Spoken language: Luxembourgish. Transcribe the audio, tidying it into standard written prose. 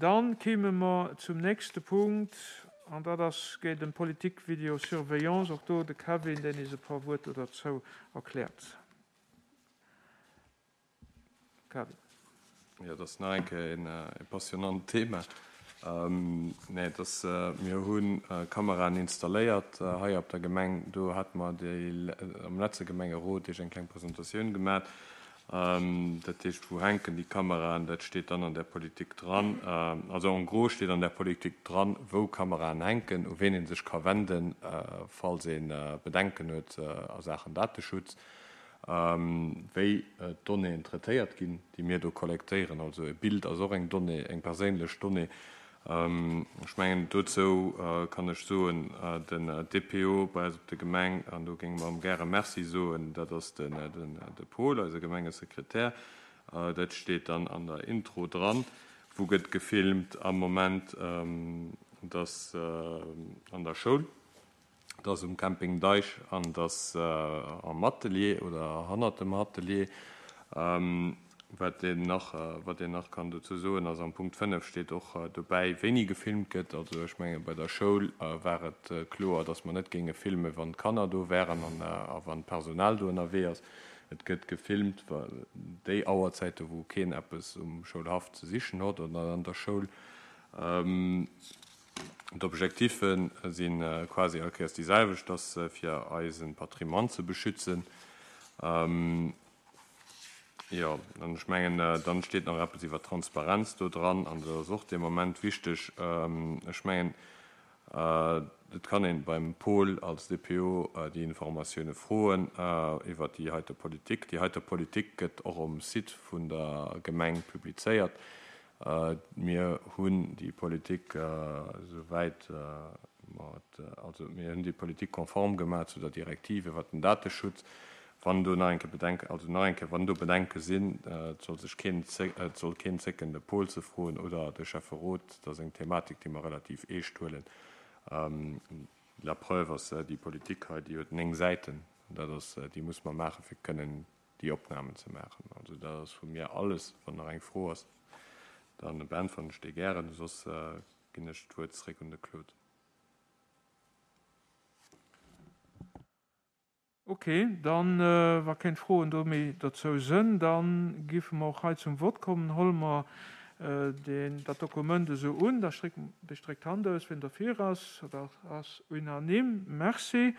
Dann kéime mer zum nächste Punkt, an dat ass, geet ëm d'Politique Vidéosurveillance. Och do de Kevin, deen eis e puer Wuert do derzou erkläert. Kevin. Jo, dat ass nach eng Kéier e passionnant Thema. Nee, et ass, mir hu Kameraen installéiert hei op der Gemeng. Do hate mer déi am letzte Gemengerot Iech eng kleng Presentatioun gemat. Dat heescht, wou hänken déi Kameraen? Dat steet dann an där Politik dran. Also en gros steet an där Politik dran, wou Kameraen hänken, u ween ee sech ka wenden, falls ee Bedenken huet a Saachen Dateschutz, wéi d'Donnéeën traitéiert ginn, déi mir do kollektéieren. Also e Bild ass och eng Donnée, eng perséinlech Donnée. Ech mengen, dozou kann ech soen, den DPO bei eis op der Gemeng, an do géinge mer em gäre Merci soen, dat ass de Paul, eise Gemengesekretär. Dat steet dann an der Intro dran. Wou gëtt gefilmt am Moment? Dat ass an der Schoul. Et ass um Camping Deich an et ass am Atelier oder hannert dem Atelier. Wat een nach, wat een nach kann dozou soen ass, am Punkt 5 steet och dobäi, wéini gefilmt gëtt. Also ech menge bei der Schoul war et kloer, datt mer net géinge filmen, wann d'Kanner do wären an a wann d'Personal do ënnerwee ass. Et gëtt gefilmt déi Auerzäite wou keen eppes um Schoulhaff ze sichen hott oder an der Schoul. D'Objectife si quasi all Kéiers déi selwecht, dass fir eise Patrimoine ze beschützen. Jo, an ech mengen, dann steet nach eppes iwwer d'Transparenz do dran, an dat ass och dee Moment wichteg. Ech mengen, et kann ee beim Paul als DPO déi Informatioune froen iwwer déi heite Politik. Déi heite Politik gëtt och um Site vun der Gemeng publizéiert. Mir hunn déi Politik esouwäit mer et, also mir hunn déi Politik konform gemaach zu der Direktiv iwwert den Dateschutz. Wann do nach eng Kéier Bedenken, also nach eng Kéier, wann do Bedenke sinn, et soll sech keen, et soll keen zécken de Paul ze froen oder de Schäfferot. Dat ass eng Thematik, déi mer relativ eescht huelen. La preuve ass déi Politik hei, déi huet 9 Säiten. Dat ass, déi muss mer maachen, fir kënnen déi Opnamen ze maachen. Also dat ass vu mir alles. Wann nach eng Fro ass, da beäntweren ech déi gären, soss ginn ech d'Wuert zréck un de Claude. Ok, dann, wa keng Froen do méi dozou sënn, da giffe mer och hei zum Vott kommen. Holle mer deen, dat Dokument esou un. Da stréckt, dee stréckt d'Hand aus, wien derfir ass. Dat ass unanime. Merci.